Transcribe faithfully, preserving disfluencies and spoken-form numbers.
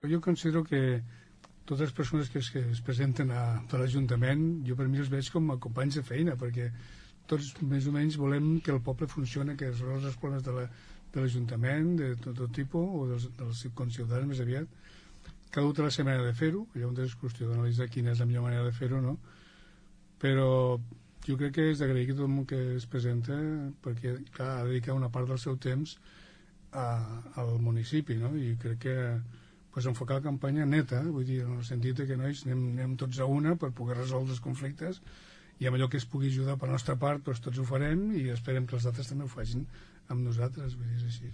Jo considero que totes les persones que es, que es presenten a, a l'Ajuntament, jo per mi els veig com a companys de feina, perquè tots més o menys volem que el poble funcioni, que es resolgui els problemes de la, de l'Ajuntament, de tot, tot tipus, o dels, dels conciutadans més aviat. Cada un té la seva manera de fer-ho, llavors és qüestió d'analitzar quina és la millor manera de fer-ho, no? Però jo crec que és d'agrair que tot el món que es presenta, perquè clar, ha de dedicar una part del seu temps a, al municipi, no? I crec que pues, enfocar la campanya neta, vull dir, en el sentit que nois anem, anem tots a una per poder resoldre els conflictes, i amb allò que es pugui ajudar per la nostra part, doncs tots ho farem i esperem que els altres també ho facin amb nosaltres, vull dir, és així.